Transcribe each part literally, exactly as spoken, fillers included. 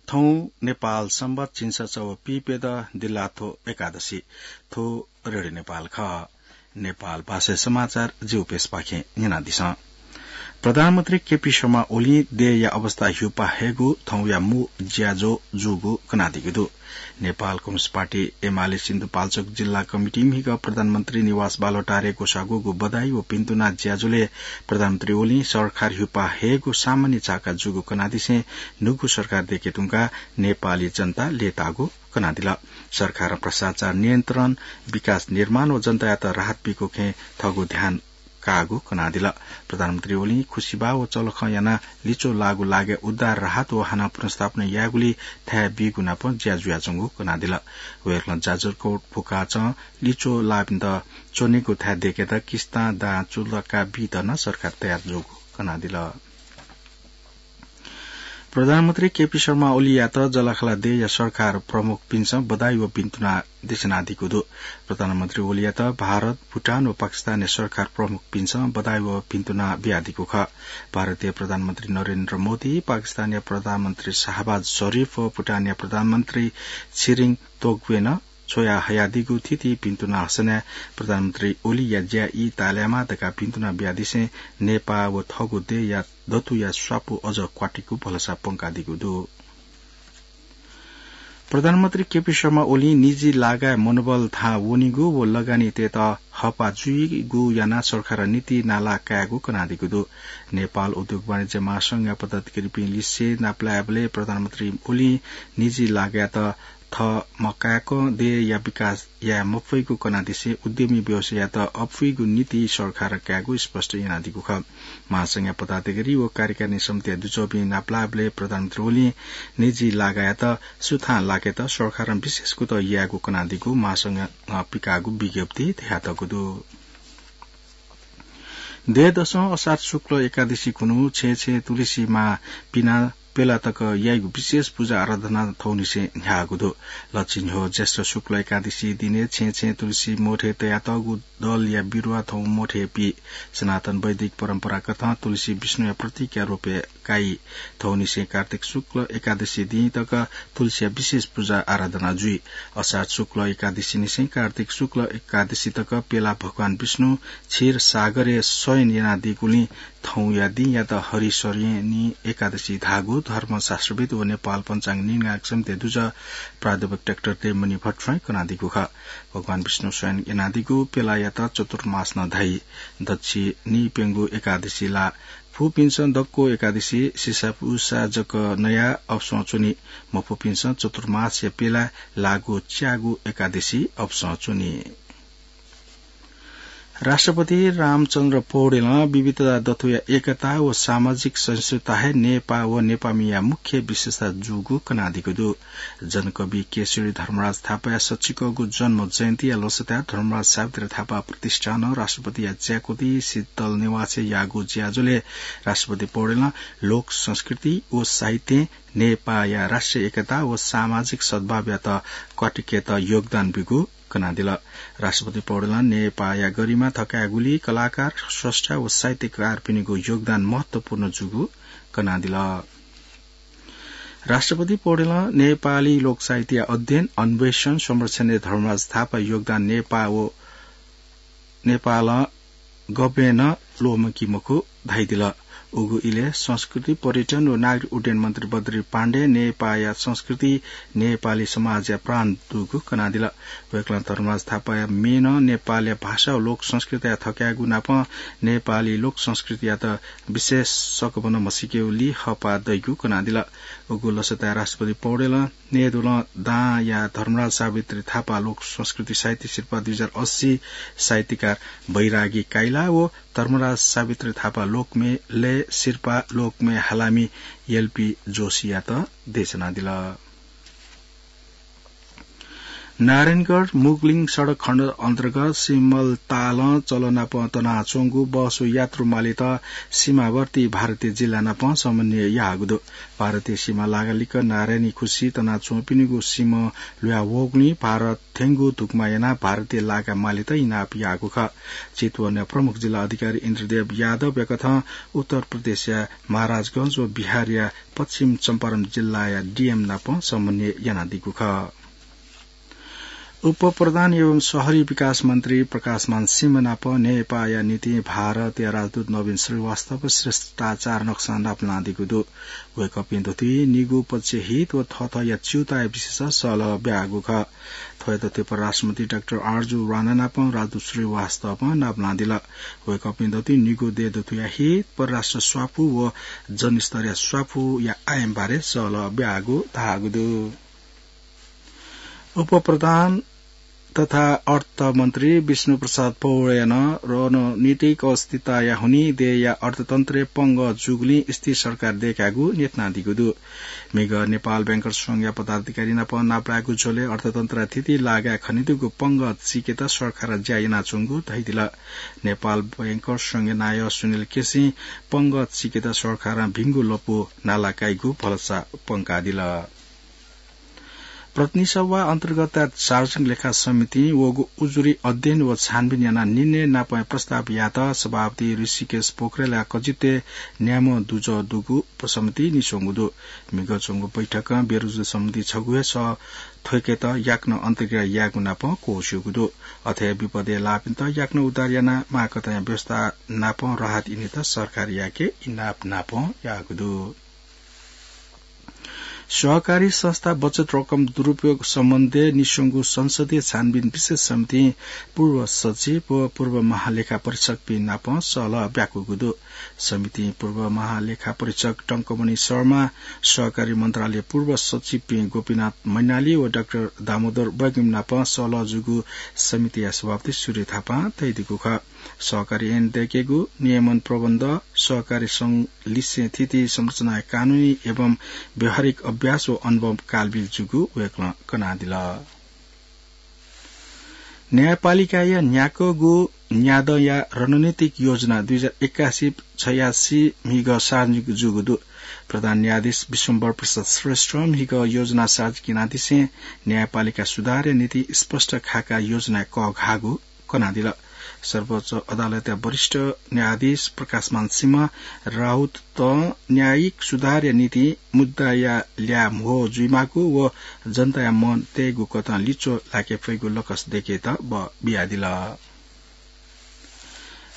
थौं नेपाल संवत् झिंछसः व पिपे द दिल्लाथ्व एकादशी। थ्व रेडियो नेपाल खः। नेपाल भाषाय् समाचार जिगु पेजपाखें न्यनादिसँ। प्रधानमन्त्री केपी शर्मा ओलीं देय्‌या अवस्था ह्युपाः हयेगु थौंया मू ज्याझ्वः जूगु कनादीगु दु। नेपाल कम्युनिस्ट पार्टी एमाले सिन्धुपाल्चोक जिल्ला कमिटी म्हिगः प्रधानमन्त्री निवास बालुवाटारय् ग्वसाः ग्वःगु बधाई व भिन्तुना ज्याझ्वलय् प्रधानमन्त्री ओलीं सरकार ह्युपाः हयेगु सामान्य झाका जूगु कनादिसें न्हूगु सरकार दयेके धुंकाः नेपाली जनता लय्‌ताःगु कनादिल। सरकारं भ्रष्टाचार नियन्त्रण, विकास निर्माण व जनतायात राहत बीगु खँय् थःगु ध्यान काःगु कनादिल। प्रधानमन्त्री ओलीं खुसिबाः व चलखं यानाः लिच्वः लाःगु लागाय् उद्धार, राहत व हानं पुनर्स्थापना यायेगुली थाय् बीगु नाप ज्या जुयाच्वंगु कनादिल। वय्‌कलं जाजरकोट भुखाचं लिच्वः लाःपिन्त च्वनेगु थाय् दयेकेत किस्तां दां चुलका बीत नं सरकार तयार जूगु कनादिल। प्रधानमन्त्री केपी शर्मा ओलीयात जःलाखःला देय्‌या सरकार प्रमुखपिन्सं बधाई व भिन्तुना देछानादीगु दु। प्रधानमन्त्री ओलीयात भारत, भुटान व पाकिस्तानया सरकार प्रमुखपिन्सं बधाई व भिन्तुना बियादीगु खः। भारतया प्रधानमन्त्री नरेन्द्र मोदी, पाकिस्तानया प्रधानमन्त्री शाहबाज शरीफ व भुटानया प्रधानमन्त्री त्सिरिङ तोब्गें नं छ्वया हयादीगु थीथी भिन्तुना हसनाय् प्रधानमन्त्री ओलीया ज्या ई ताःलायेमा धकाः भिन्तुना बियादिसें नेपाः व थःगु देय्‌या दथुया स्वापू अझ क्वातिगु भलसा प्वंकादीगु दु। प्रधानमन्त्री केपी शर्मा ओलीं निजी लागाय् मनोबल थाहां वनीगु व लगानीतय्‌त हःपाः जुइगु यानाः सरकारं नीति नाला कायेगु कनादीगु दु। नेपाल उद्योग वाणिज्य महासंघया पदाधिकारीपिं लिसे नापलायेबलय् प्रधानमन्त्री ओलीं निजी लागाय्‌त थः मकाय्‌कं देय्‌या विकास याये मफइगु कनादिसें उद्यमी व्यवसायीयात अपुइगु नीति सरकारं कायेगु स्पष्ट यानादीगु खः। महासंघया पदाधिकारी व कार्यकारिणी समितिया दुजःपिं नापलाःबलय् प्रधानमन्त्री ओलीं निजी लागाय्‌त सुथां लाकेत सरकारं विशेष कुतः यायेगु कनादीगु महासंघं पिकाःगु विज्ञप्तिइ धयातःगु दु। देय्‌दसं असार शुक्ल एकादशी खुन्हु छेँय् छेँय् तुलसी मां पिनाः प्यला तक याइगु विशेष पूजा आराधना थौंनिसें न्ह्याःगु दु। लच्छि न्ह्यः ज्येष्ठ शुक्ल एकादशी दिनय् छेँय् छेँय् तुलसी मोठय् तयातःगु दलया बिरुवा थौं मोठय् पी। सनातन वैदिक परम्पराकथं तुलसी विष्णुया प्रतीकया रूपय् काइ। थौंनिसें कार्तिक शुक्ल एकादशी दिं तक तुलसीया विशेष पूजा आराधना जुइ। असार शुक्ल एकादशीनिसें कार्तिक शुक्ल एकादशी तक प्यला भगवान विष्णु क्षीर सागरय् शयन यानादीगुलिं थौंया दिंयात हरिशयनी एकादशी धाःगु धर्मशास्त्रविद् व नेपाल पञ्चाङ्ग निर्णायक समितिया दुजः प्राध्यापक डाक्टर देवमणि भट्टराईं कनादीगु खः। भगवान विष्णु शयन यानादीगु प्यलायात चतुर्मास नं धाइ। दच्छि नीप्यंगू एकादशी ला फुपिन्सं दक्व एकादशी सिसापुसा जक नयाः अपसं च्वनी। मफुपिन्सं चतुर्मासया प्यलाय् लाःगु च्यागू एकादशी अपसं च्वनी। राष्ट्रपति रामचन्द्र पौडेलं विविधता दथुया एकता व सामाजिक सहिष्णुता हे नेपाः व नेपाःमिया मुख्य विशेषता जूगु कनादीगु दु। जनकवि केशरी धर्मराज थापाया सच्चिकःगु जन्म जयन्तीया लसताय् धर्मराज सावित्री थापा प्रतिष्ठानं राष्ट्रपतिया च्याकुति शीतल निवासय् याःगु ज्याझ्वलय् राष्ट्रपति पौडेलं लोक संस्कृति व साहित्यं नेपाःया राष्ट्रिय एकता व सामाजिक सद्भावयात क्वातिकेत योगदान ब्यूगु कनादिल। राष्ट्रपति पौडेलं नेपाःया गरिमा थकायेगुली कलाकार, स्रष्टा व साहित्यकारपिनिगु योगदान महत्वपूर्ण जूगु कनादिल। राष्ट्रपति पौडेलं नेपाली लोकसाहित्यया अध्ययन, अन्वेषण, संरक्षणय् धर्मराज थापाया योगदान नेपाः व नेपालं गबलें नं ल्वःमंकी मखु धाइदिल। उगु इलय् संस्कृति, पर्यटन व नागरिक उड्डयन मन्त्री बद्री पाण्डें नेपाःया संस्कृति नेपाली समाजया प्राण दुगु कनादिल। वय्कलं धर्मराज थापाया म्येनं नेपालया भाषा व लोक संस्कृतिया थकायेगु नापं नेपाली लोक संस्कृतियात विशेष सकभनं म्हसीकेगुली हःपाः दइगु कनादिल। उगु लसताय् राष्ट्रपति पौडेलं नयेदुलं दांया धर्मराज सावित्री थापा लोक संस्कृति साहित्य सिर्पा दुई हजार अस्सी साहित्यकार बैरागी काइला व धर्मराज सावित्री थापा लोकम्येलय् सिर्पा लोकम्ये हालामि एलपी जोशीयात देछानादिल। नारायणगढ मुगलिङ सडक खण्ड अन्तर्गत सिमलतालं चलनाप तनाच्वंगु बस व यात्रु मालित सीमावर्ती भारतीय जिल्ला नाप समन्वय याःगु दु। भारतीय सीमा लागालिक नारायणी खुसी तनाच्वंपिनिगु सीम ल्हुया वःगुलिं भारत थ्यंगु धुकमा यानाः भारतीय लागा मालित इनाप याःगु खः। चितवन प्रमुख जिल्ला अधिकारी इन्द्रदेव यादवया कथं उत्तर प्रदेशया महाराजगंज व बिहारया पश्चिम चम्पारण जिल्लाया डीएम नाप समन्वय यानादीगु खः। उपप्रधान एवं शहरी विकास मन्त्री प्रकाशमान सिंह नाप नेपाःया निंतिं भारतया राजदूत नवीन श्रीवास्तव श्रेष्ठाचार नक्सा नापलानादीगु दु। वय्कःपिं दथुइ निगू पक्ष हित व थःथःया च्यूताया विषयस सल्लाह ब्याःगु खः। थ्वयात थुइ परराष्ट्रमन्त्री डाक्टर आरजु राणा नाप राजदूत श्रीवास्तवं नापलानादिल। वय्कःपिं दथुइ निगू देय् दथुया हित, परराष्ट्र स्वापू व जनस्तरया स्वापूया आयाम बारे सल्लाह ब्याःगु धाःगु दु। उपप्रधान तथा अर्थमन्त्री विष्णुप्रसाद पौडेलं रणनीतिक अस्थिरताया हुनिं देय्या अर्थतन्त्रय् पंगः जूगुलिं स्थिर सरकार दय्कागु न्ह्यथनादीगु दु। म्हिगः नेपाल बैंकर्स संघया पदाधिकारी नाप नापलायेगु झ्वलय् अर्थतन्त्रया थीथी लागाय् खनेदुगु पंगः चीकेत सरकारं ज्या यानाच्वंगु धयादिल। नेपाल बैंकर्स संघया नायः सुनिल केसीं पंगः चीकेत सरकारं भिंगु लँपु नाला काइगु भलसा पंकादिल। प्रतिनिधि सभा अन्तर्गत सार्वजनिक लेखा समितिं वःगु उजुरी अध्ययन व छानबिन यानाः निर्णय नापं प्रस्ताव यायेत सभापति ऋषिकेश पोखरेलया कजित्वय् न्याम्ह दुजः दुगु उपसमिति निस्वंगु दु। म्हिगः च्वंगु बैठकं बेरोजगारी सम्बन्धी छगू हे सः थ्वयेकेत याकनं अन्तर्क्रिया यायेगु नापं क्वःस्यूगु दु। अथे विपदय् लाःपिन्त याकनं उद्धार यानाः माःकथंया व्यवस्था नापं राहत इनेत सरकारयाके इनाप नापं याःगु दु। सहकारी संस्था बचत रकम दुरुपयोग सम्बन्धय् निस्वंगु संसदीय छानबिन विशेष समितिं पूर्व सचिव व पूर्व महालेखा परीक्षकपिं नाप सल्लाह ब्याकूगु दु। समितिं पूर्व महालेखा परीक्षक टंकमणि शर्मा, सहकारी मन्त्रालय पूर्व सचिवपिं गोपीनाथ मैनाली व डाक्टर दामोदर बैगुम नाप सल्लाह जूगु समितिया सभापति सूर्य थापां धयादीगु खः। सहकारी ऐन दय्केगु, नियमन प्रबन्ध, सहकारी संघ लिसें थीथी संरचनाया कानूनी एवं व्यावहारिक अभ्यास व अनुभव कालबिल जूगु वय्कलं कनादिल। न्यायपालिकाया न्याक्वःगु न्यादँया रणनीतिक योजना दुई हजार एकासी छयासी म्हिगः सार्वजनिक जूगु दु। प्रधान न्यायाधीश विश्वम्भर प्रसाद श्रेष्ठं म्हिगः योजना सार्वजनिक यानादिसें न्यायपालिका सुधारया निंतिं स्पष्ट खाका योजना कःघाःगु कनादिल। सर्वोच्च अदालतया वरिष्ठ न्यायाधीश प्रकाशमान सिंह राउतं न्यायिक सुधारया निंतिं मुद्दाया ल्याः म्हो जुइमाःगु व जनताया मन तयेगु कथं लिच्वः लाके फइगु लकस दय्केत बः बियादिल।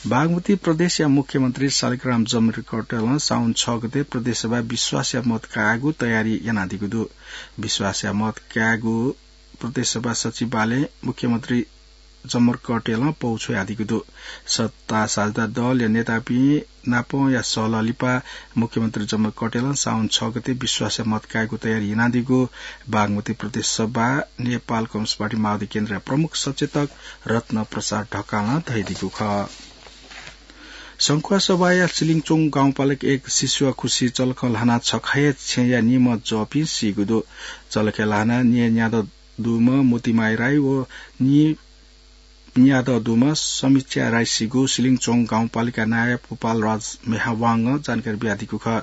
बागमती प्रदेशया मुख्यमन्त्री शालिग्राम जमरकर्टेलं साउन छ गते प्रदेशसभा विश्वासया मत कायेगु तयारी यानादीगु दु। विश्वासया मत कायेगु प्रदेशसभा सचिवालयं मुख्यमन्त्री जमरकर्टेलं पौ छ्वयादीगु दु। सत्ता साझेदार दलया नेतापिं नापया सल्लाह लिपा मुख्यमन्त्री जमरकर्टेलं साउन छ गते विश्वासया मत कायेगु तयारी यानादीगु बागमती प्रदेशसभा नेपाल कम्युनिस्ट पार्टी माओवादी केन्द्रया प्रमुख सचेतक रत्न प्रसाद ढकालं धयादीगु खः। संखुवासभाया सिलिङचोङ गाउँपालिका एक सिसुवा खुसी चलखं ल्हानाः छखा हे छेँया निम्ह जःपिं सीगु दु। चलखय् ल्हानाः निम्ह न्यादँ दुम्ह मोतीमाया राई व निम्ह न्यादँ दुम्ह समीक्षा राई सीगु सिलिङचोङ गाउँपालिका नायः पुपाल राज मेहावांगं जानकारी बियादीगु खः।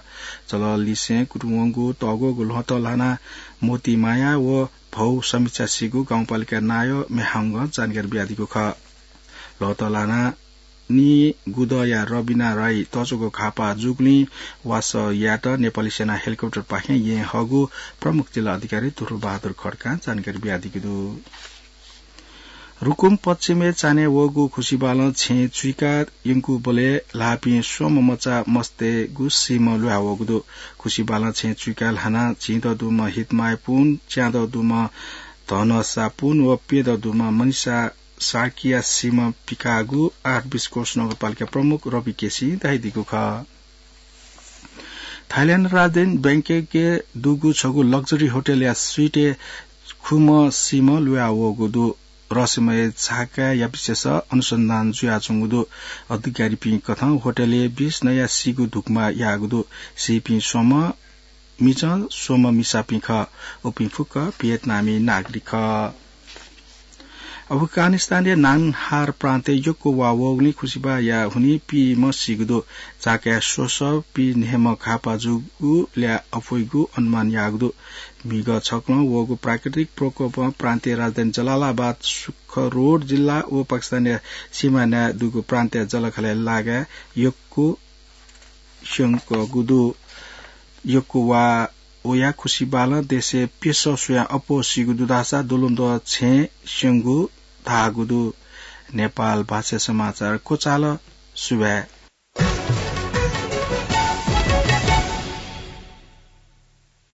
चलः लिसें कुतुं वंगु तःग्वःगु ल्वहँतं ल्हानाः मोतीमाया व भौ समीक्षा सीगु गाउँपालिका नायः मेहावांगं जानकारी बियादीगु खः। ल्वहँतं ल्हानाः निगुदँया रबिना राई तच्वःगु घाःपाः जूगुलिं वासः यायेत नेपाली सेना हेलिकप्टरपाखें येँ हःगु प्रमुख जिल्ला अधिकारी ध्रुवबहादुर खड्कां जानकारी बियादीगु दु। रुकुम पश्चिमय् चान्हय् वःगु खुसिबालं छेँ चुइका यंकूबलय् ल्हाःपिं स्वम्ह मचा मस्तय्गु सीम्ह ल्हुया वःगु दु। खुसिबालं छेँ चुइका ल्हानाः झिंदँ दुम्ह हितमाया पुन, च्यादँ दुम्ह धनसा पुन व प्यदँ दुम्ह मनिषा सार्कीया सीम्ह पिकाःगु आठ बिस्कोस नगरपालिका प्रमुख रवि केसीं धयादीगु खः। थाइल्याण्ड राजधानी बैंककय् दुगु छगू लग्जरी होटलया स्वीटय् खुम्ह सीम्ह ल्हुया वःगु दु। रहस्यमय झाकाया विषयस अनुसन्धान जुयाच्वंगु दु। अधिकारीपिं कथं होटलय् बिस नयाः सीगु धुकमा याःगु दु। सीपिं स्वम्ह मिजं स्वम्ह मिसापिं खः। उपिं फुक्क भियतनामी नागरिक खः। अफगानिस्तानया नांगहार प्रान्तय् यक्व वा वःगुलिं खुसिबाःया हुनिं पीम्ह सीगु दु। चाकय् स्वसः पीन्हय्म्ह घाःपाः जूगु ल्याः अप्वइगु अनुमान याःगु दु। म्हिगः छकलं वःगु प्राकृतिक प्रकोपं प्रान्तय् राजधानी जलालाबाद, सुखरोड जिल्ला व पाकिस्तानया सीमानाय् दुगु प्रान्तय् जःलाखःलाया लागाय् यक्व स्यंकूगु दु। यक्व वा वयाः खुसिबालं देशय् प्यसः स्वयाः अप्वः सीगु दु धाःसा दुलुमद्वः छेँ स्यंगु धाःगु दु। नेपाल भाषा समाचार क्वचाल। सुभाय्।